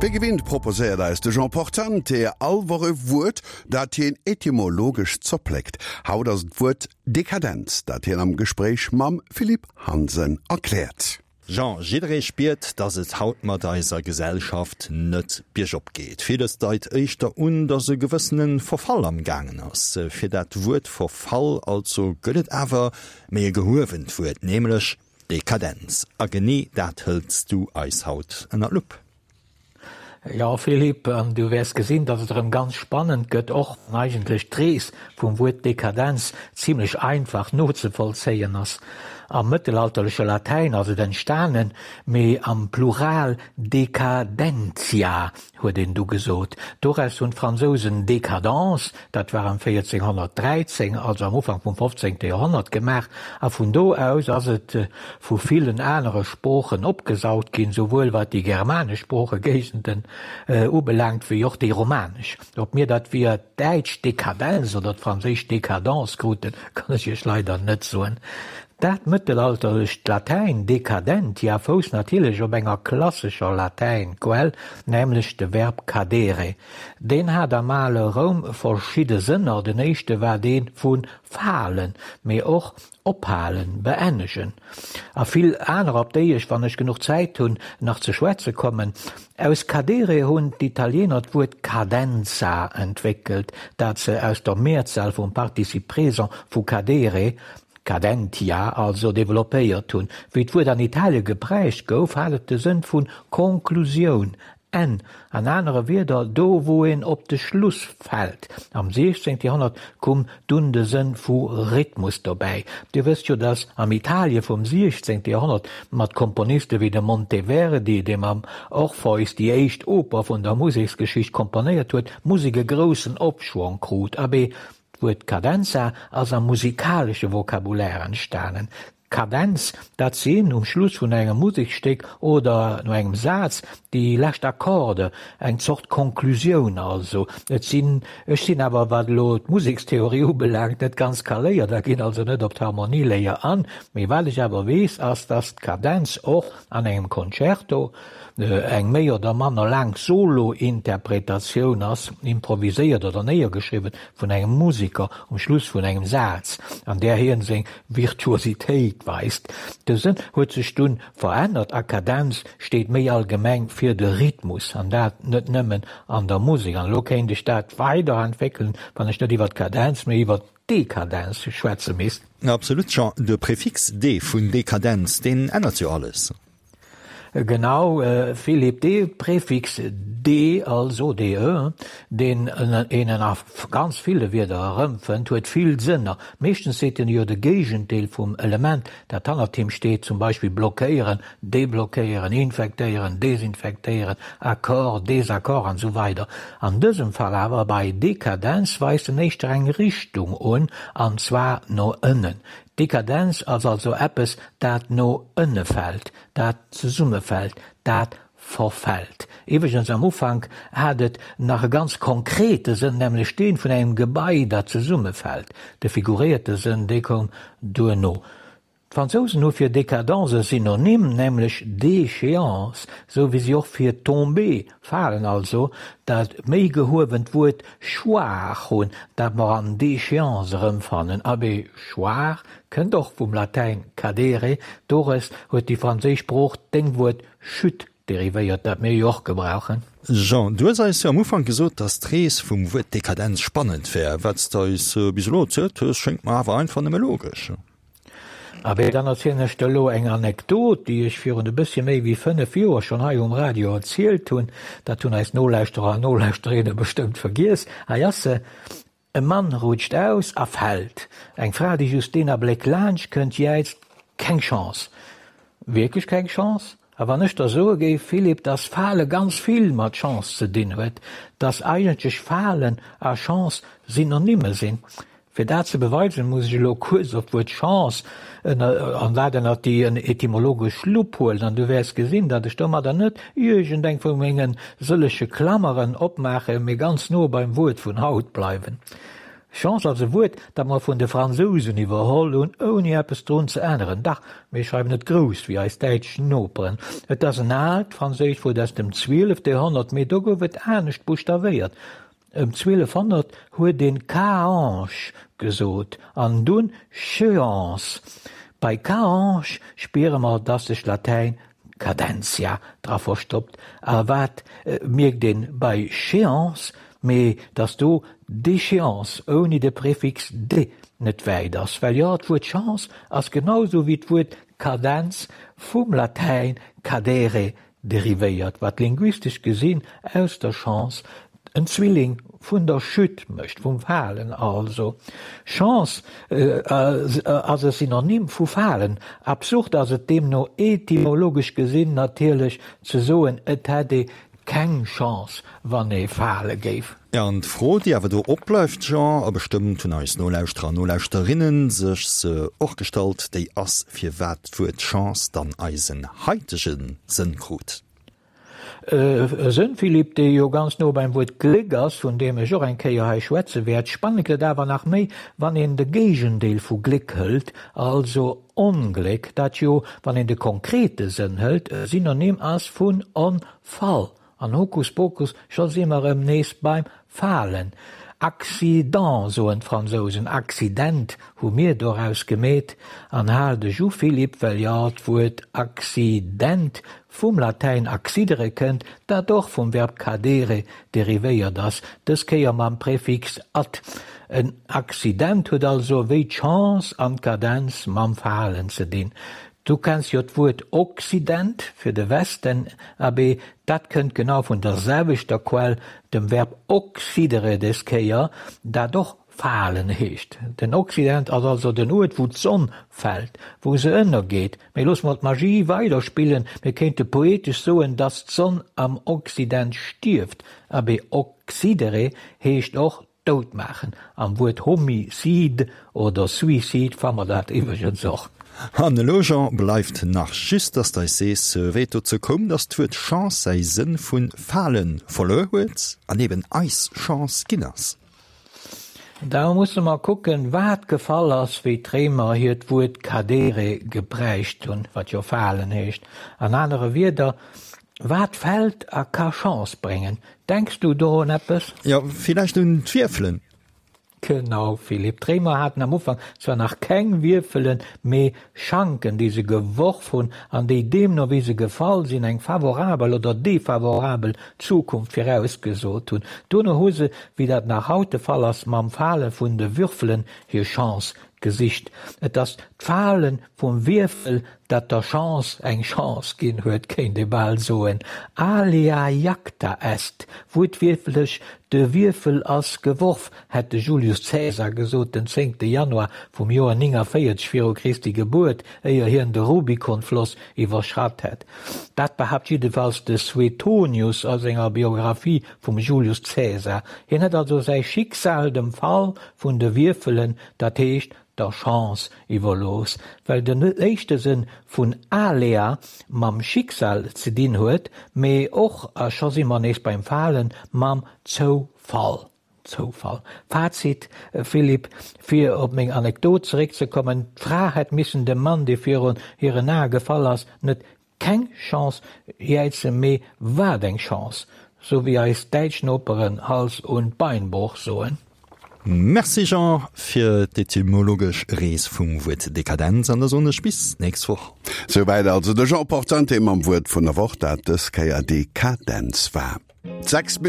Wéi gewinnt proposéiert eis de Jean Portante all Woch e Wuert, dat hien etymologesch zerpléckt. Haut ass et d'Wuert Dekadenz, dat hien am Gespréich mam Philippe Hansen erkläert. Jean, jidderee spiert, dass et haut mat eiser Gesellschaft net biergop geet. Villes deit éischter un, dass e gewëssene Verfall am gaangen ass. Fir dat Wuert Verfall also gëtt et awer méi e gehuewent Wuert, nämlech Dekadenz. A genee dat hëls du eis haut ënner d'Lupp. Jo, Philippe, an du wäers gesinn, datt et erëm ganz spannend gëtt, och wann eigentlech d'Rees vum Wuert Dekadenz zimlech einfach nozevollzéien ass. Am mëttelalterleche Latäin ass et entstanen, mee am Plural decadentia huet een du gesot. Doraus hunn d'Fransousen décadence, dat war ëm 1413, also am Ufank vum 15. Joerhonnert, gemaach, a vun do aus ass et vu villen anere Sproochen opgesaugt ginn, souwuel wat déi germanesch Sproochegéigenden ubelaangt, wéi och déi romanesch. Ob mir dat via d'däitsch Dekadenz oder d'franséisch Décadence kruten, kann ech Iech leider net soen. Dat mëttelalterlecht Latäin decadentia fousst natierlech op enger klassescher Latäinquell, nämlech de Verb cadere. Deen hat am ale Roum verschidde Sënner, den éischte war dee vu falen, mee och ophalen, beennegen. A vill anerer, op déi ech, wann ech genuch Zäit hunn, nach ze schwätze kommen. Aus cadere hunn d'Italiener d'Wuert cadenza entwéckelt, dat se aus der Mehrzahl vum Participe présent vu cadere, cadentia also, developpéiert hunn. Wéi d'Wuert an Italie geprägt gouf, hat et de Sënn vu Konklusioun, Enn, an anere Wierder, do wou een op de Schluss fält. Am 16. Joerhonnert koum dunn de Sënn vu Rhythmus dobäi. Dir wësst jo, datt am Italie vum 16. Joerhonnert mat Komponiste wéi dem Monteverdi, dee mam Orpheus déi éischt Oper vun der Museksgeschicht komponéiert huet, d'Musek e groussen Opschwong krut. Abee, d'Wuert Cadenza ass am musikalesche Vocabulaire entstanen. Kadenz, dat sinn um Schluss vun engem Museksstéck oder no engem Saz déi lescht Akkorde, eng Zort Konklusioun also. Et sinn, ech sinn awer, wat elo d'Musekstheorie ubelaangt, net ganz kaléiert a ginn also net op d'Harmonieléier an, mee wat ech awer weess, ass, dass d'Kadenz och an engem Concerto eng méi oder manner laang Solo-Interpretatioun ass, improviséiert oder néiergeschriwwen vun engem Museker um Schluss vun engem Saz, an där hien seng Virtuositéit weist. De Sënn huet sech dunn verännert a Kadenz steet méi allgemeng fir de Rhythmus, an dat net nëmmen an der Musek. An elo kéint ech dat weiderentwéckelen, wann ech net iwwer d'Kadenz, mee iwwer d'Dekadenz schwätze misst. Absolut, Jean. De Prefix de vun Dekadenz, deen ännert jo alles. Genau, Philippe, dee Prefix de, also de, deen een a ganz ville Wierder erëmfënnt, huet vill Sënner. Meeschtens seet en jo de Géigendeel vum Element, dat hannert him steet, zum Beispill blockéieren, deblockéieren, infektéieren, desinfektéieren, Accord, Désaccord an esou weider An dësem Fall awer, bei Dekadenz, weist en éischter eng Richtung un, an zwar no ënnen. Dekadenz ass also eppes, dat no ënne fält, dat zesummefält, dat verfält. Iwwregens, am Ufank hat et nach e ganz konkrete Sënn, nämlech dee vun engem Gebai, dat zesummefält. De figuréierte Sënn, dee koum duerno. D'Fransousen hu fir Décadence e Synonym, nämlech déchéance, sou wéi si och fir tomber, falen also, dat méi gehuewent Wuert choir hunn, dat mer an déchéance erëmfannen. Abee, choir kënnt och vum Latäin cadere, doraus huet déi franséisch Sprooch d'Déngwuert chute derivéiert, dat mir jo och gebrauchen. Jean, du hues eis jo am Ufank gesot, dass d'Rees vum Wuert Dekadenz spannend wär. Wat s de eis bis elo erzielt hues, schéngt mer awer einfach nëmme logesch. Abee, dann erzielen ech der elo eng Anekdot, déi ech virun e bëssche méi wéi 5 Joer schonn hei um Radio erzielt hunn. Dat hunn eis Nolauschterer an Nolauschterinnen bestëmmt vergiess. Hei ass se, E Mann rutscht aus a fält. Eng Fra, déi just deen Abléck laanscht kënnt, jäizt, Keng Chance! Wierklech keng Chance? A wann ech der soe géif, Philippe, dass Fale ganz vill mat Chance ze dinn huet, dass eigentlech Falen a Chance Synonyme sinn? Fir dat ze beweisen, muss ech elo kuerz op d'Wuert Chance ënner, an dat ënnert déi etymologesch Lupp huelen, an du wäers gesinn, datt ech domadder net iergendeng vu menge sëllege Klammeren opmaachen, mee ganz no beim Wuert vun haut bleiwen. Chance ass e Wuert, dat mer vun de Fransousen iwwerholl hunn, ouni eppes drun ze änneren. Dach, mir schreiwen et grouss, wéi eis däitsch Noperen. Et ass en aalt franséischt Wuert aus dem zwielefte Joerhonnert, mee do gouf et anescht buschtawéiert. Ëm 1200 huet een Caange gesot an dunn Cheance. Bei Caange spiere mer, dass sech Latäin Cadentia dra verstoppt. A wat mierkt een bei Chéance? Mee dass do Déchéance ouni de Prefix de net wäit ass. Well jo, d'Wuert Chance ass genau sou wéi d'Wuert Kadenz vum Latäin cadere derivéiert, wat linguistesch gesinn aus der Chance en Zwilling vun der Chute mécht, vum Falen also. Chance ass e Synonym vu falen. Absurd ass et deemno etymologesch gesinn natierlech ze soen, et hätt ee keng Chance, wann ee fale géif. Jo, an d'Fro, déi awer do opbleift, Jean, a bestëmmt hunn eis Nolauschterer an Nolauschterinnen sech se och gestallt, déi ass, firwat d'Wuert Chance dann eisen haitege Sënn krut. E Sënn, Philippe, dee jo ganz no beim Wuert Gléck ass, vun deem ech och eng Kéier hei schwätze wäert. Spannend gëtt et awer nach méi, wann een de Géigendeel vu Gléck hëlt, also Ongléck, dat jo, wann een de konkrete Sënn hëlt, e Synonym ass vun Onfall. An Hokuspokus, scho si mer erëm nees beim Falen. Accident soen d'Fransousen, Accident hu mir doraus gemeet. An hal dech u Philippe, well jo d'Wuert Accident vum Latäin accidere kënnt, dat och vum Verb cadere derivéiert ass, dës Kéier mam Präfix ad. En Accident huet also wéi d'Chance an d'Kadenz mam Falen ze dinn. Du kenns jo d'Wuert Occident fir de Westen, abee, dat kënnt genau vun der selwechter Quell, dem Verb occidere des Kéier, dat och falen heescht. Den Occident ass also den Uert, wou d'Sonn fält, wou se ënnergeet. Mee loosse mer d'Magie weiderspillen, mir kéinte poetesch soen, dass d'Sonn am Occident stierft. Abee, occidere heescht och dout maachen. Am Wuert Homicide oder Suicide fa mer dat iwwregens och. An elo, Jean, bleift nach just, dass d'eis sees, wéi et dozou koum, dass d'Wuert Chance säi Sënn vu fale verluer huet an eben eis Chance ginn ass. Da musse mer kucken, wat gefall ass, wéi d'Réimer hiert Wuert cadere gebräicht hunn, wat jo falen heescht. An anere Wierder, Wat fält a ka Chance bréngen? Denks du do un eppes? Jo, villäicht un d'Wierfelen. Genau, Philippe. D'Réimer haten am Ufank zwar nach keng Wierfelen, mee Schanken, déi se geworf hunn an déi deemno wéi se gefall sinn, eng favorabel oder defavorabel Zukunft virausgesot hunn. Dono hu se, wéi dat nach haut de Fall ass, mam Fale vun de Würfelen hir Chance gesicht. Et ass d'Fale vum Wierfel, dat der Chance eng Chance ginn huet, kéint ee bal soen. Alea jacta est, wuertwiertlech de Wierfel ass geworf, hätt de Julius Caesar gesot, den zéngte Januar vum Joer 49 viru Christi Gebuert, éier hien de Rubicon-Floss iwwerschratt hätt. Dat behaapt jiddefalls de Suetonius a senger Biographie vum Julius Caesar. Hien hätt also säi Schicksal dem Fall vun de Wierfelen, dat heescht der Chance iwwerlooss, well den éischte Sënn vun alea mam Schicksal ze dinn huet, mee och, a scho si mer nees beim Falen, mam Zoufall. Zoufall. Fazit, Philippe, fir op meng Anekdot zeréckzekommen, d'Fra hätt missen dem Mann, dee virun hiren Ae gefall ass, net Keng Chance jäizen, mee wat eng Chance, sou wéi eis däitsch Noperen Hals und Beinbruch soen. Merci Jean fir d'etymologesch Rees vum Wuert Dekadenz an da soen ech bis nächst Woch. Souwäit also de Jean Portante mam Wuert vun der Woch, dat dës Kéier Dekadenz war. 6.